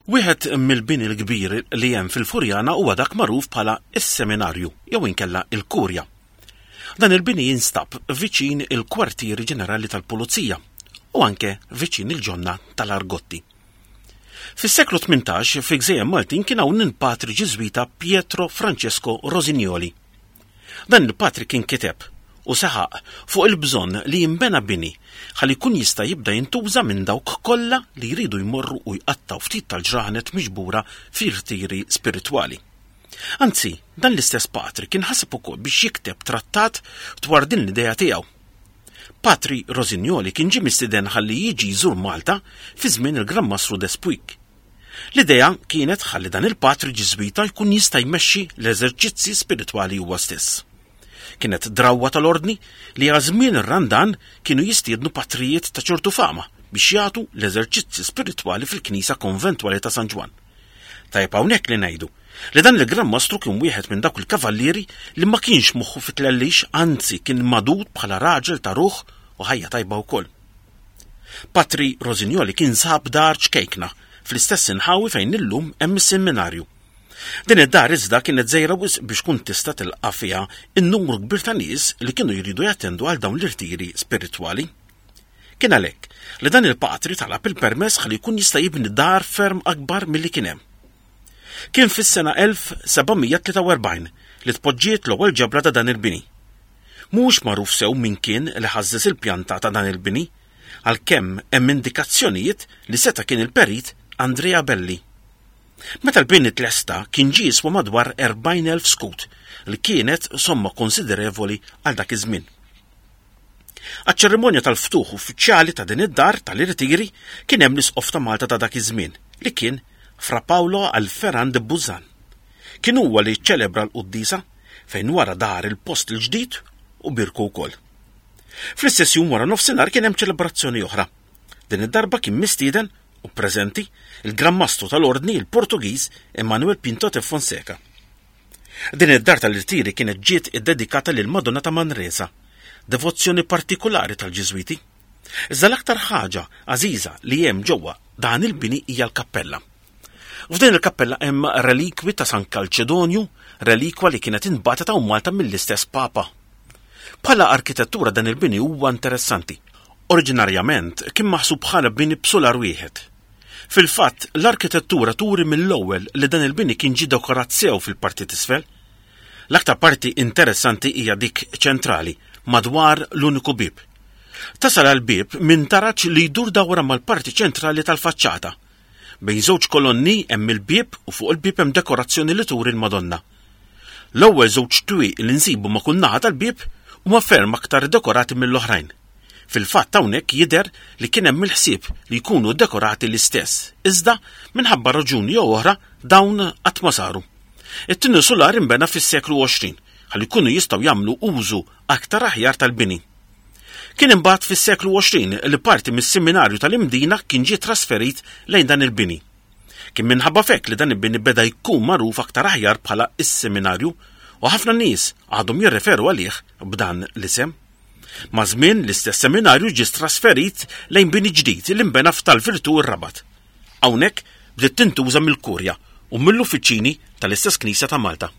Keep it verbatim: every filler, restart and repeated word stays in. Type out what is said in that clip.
Wieħed mill-bini l-kbir li hemm fil-Furjana huwa dak magħruf bħala is-Seminarju jew inkella il-Kurja. Dan il-bini jinstab viċin il-Kwartieri Ġenerali tal-Pulizija u anke viċin il-ġonna tal-Argotti. Fis-seklu tmintax fi Gżejjer Maltin kien hawn il-patri Ġiżwita Pietro Francesco Rosignoli. Dan il-patri kien kiteb u saħaq fuq il-bżonn li jinbena bini ħalli jkun jista' jibda jintuża minn dawk kollha li jridu jmorru u jqattaw ftit tal-ġranet miġbura fi rtiri spiritwali. Anzi, dan l-istess patri kien ħaseb ukoll biex jikteb trattat dwar din l-idea tiegħu. Patri Rosignoli kien ġie mistieden ħalli jiġi jżur Malta fi żmien il-Gran Mastru Despuig. L-idea kienet ħalli dan il-patri Ġiżwita jkun jista' jmexxi l-eżerċizzi spiritwali huwa stess. Kienet drawwa tal-ordni li għal żmien ir-Randan kienu jistiednu patrijiet ta' ċertu fama biex jagħtu l-eżerċizzi spiritwali fil-Knisja Konventwali ta' San Ġwann. Tajjeb hawnhekk li ngħidu li dan il-Gran Mastru kien wieħed minn dawk il-kavallieri li ma kienx moħħu fit-tlellix, anzi kien magħdud bħala raġel ta' ruħ u ħajja tajba wkoll. Patri Rosignoli kien sab dar ċkejkna fl-istess inħawi fejn illum hemm is-seminarju. Din id-dar iżda kienet żgħira wisq biex tkun tista' tilqa' fiha n-numru kbir ta' nies li kienu jridu jattendu għal dawn l-irtiri spiritwali. Kien għalhekk li dan il-patri talab il-permess ħalli jkun jista' jibni dar ferm akbar milli kien hemm. Kien fis-sena elf seba' mija tlieta u erbgħin li tpoġġiet l-ewwel ġebla ta' dan il-bini. Mhux magħruf sew min kien li ħażżes il-pjanta ta' dan il-bini, għalkemm hemm indikazzjonijiet li seta' kien il-perit Andrea Belli. Meta l-bini tlesta kien ġie jiswa madwar erbgħin elf skut, li kienet somma konsiderevoli għal dak iż-żmien. Għaċ-ċerimonja tal-ftuħ uffiċjali ta' din id-dar tal-irtiri kien hemm l-isqof ta' Malta ta' dak iż-żmien, li kien Fra Paolo Alpheran de Buzan. Kien huwa li ċċelebra l-quddisa fejn wara dar il-post il-ġdid u birku wkoll. Fl-istess jum wara nofsinhar kien hemm ċelebrazzjoni oħra. Din id-darba kien mistieden u preżenti il-Gran Mastru tal-Ordni il-Portugiż Emanuel Pinto de Fonseca. Din id-dar tal-irtiri kienet ġiet iddedikata lil Madonna ta' Manresa, devozzjoni partikolari tal-Ġiżwiti. Iżda l-aktar ħaġa għażiża li hemm ġewwa dan il-bini hija l-kappella. F'din il-kappella hemm relikwi ta' San Calcedonju, relikwa li kienet inbagħtet hawn Malta mill-istess Papa. Bħala arkitettura dan il-bini huwa interessanti. Oriġinarjament kien maħsub bħala bini b'sular wieħed. Fil-fatt, l-arkitettura turi mill-ewwel li dan il-bini kien ġie dekorat sew fil-parti t'isfel. L-aktar parti interessanti hija dik ċentrali, madwar l-uniku bieb. Tasal għal bieb minn taraġ li jdur dawra mal-parti ċentrali tal-faċċata. Bejn żewġ kolonni hemm il-bieb u fuq il-bieb hemm dekorazzjoni li turi l-Madonna. L-ewwel żewġ twieq li nsibu ma' kull naħa tal-bieb huma ferm aktar dekorati mill-oħrajn. Fil-fatt hawnhekk jidher li kien hemm il-ħsieb li jkunu dekorati l-istess, iżda minħabba raġuni jew oħra dawn qatt ma saru. It-tieni sular inbena fis-seklu għoxrin ħalli jkunu jistgħu jagħmlu użu aktar aħjar tal-bini. Kien imbagħad fis-seklu għoxrin li parti mis-seminarju tal-Imdina kien ġie trasferit lejn dan il-bini. Kien minħabba f'hekk li dan il-bini beda jkun magħruf aktar aħjar bħala is-seminarju u ħafna nies għadhom jirreferu għalih b'dan l-isem. Ma' żmien l-istess seminarju ġie trasferit lejn bini ġdid li nbena f'Tal-Virtù r-Rabat. Hawnhekk bdiet tintuża mill-Kurja u mill-uffiċini tal-istess Knisja ta' Malta.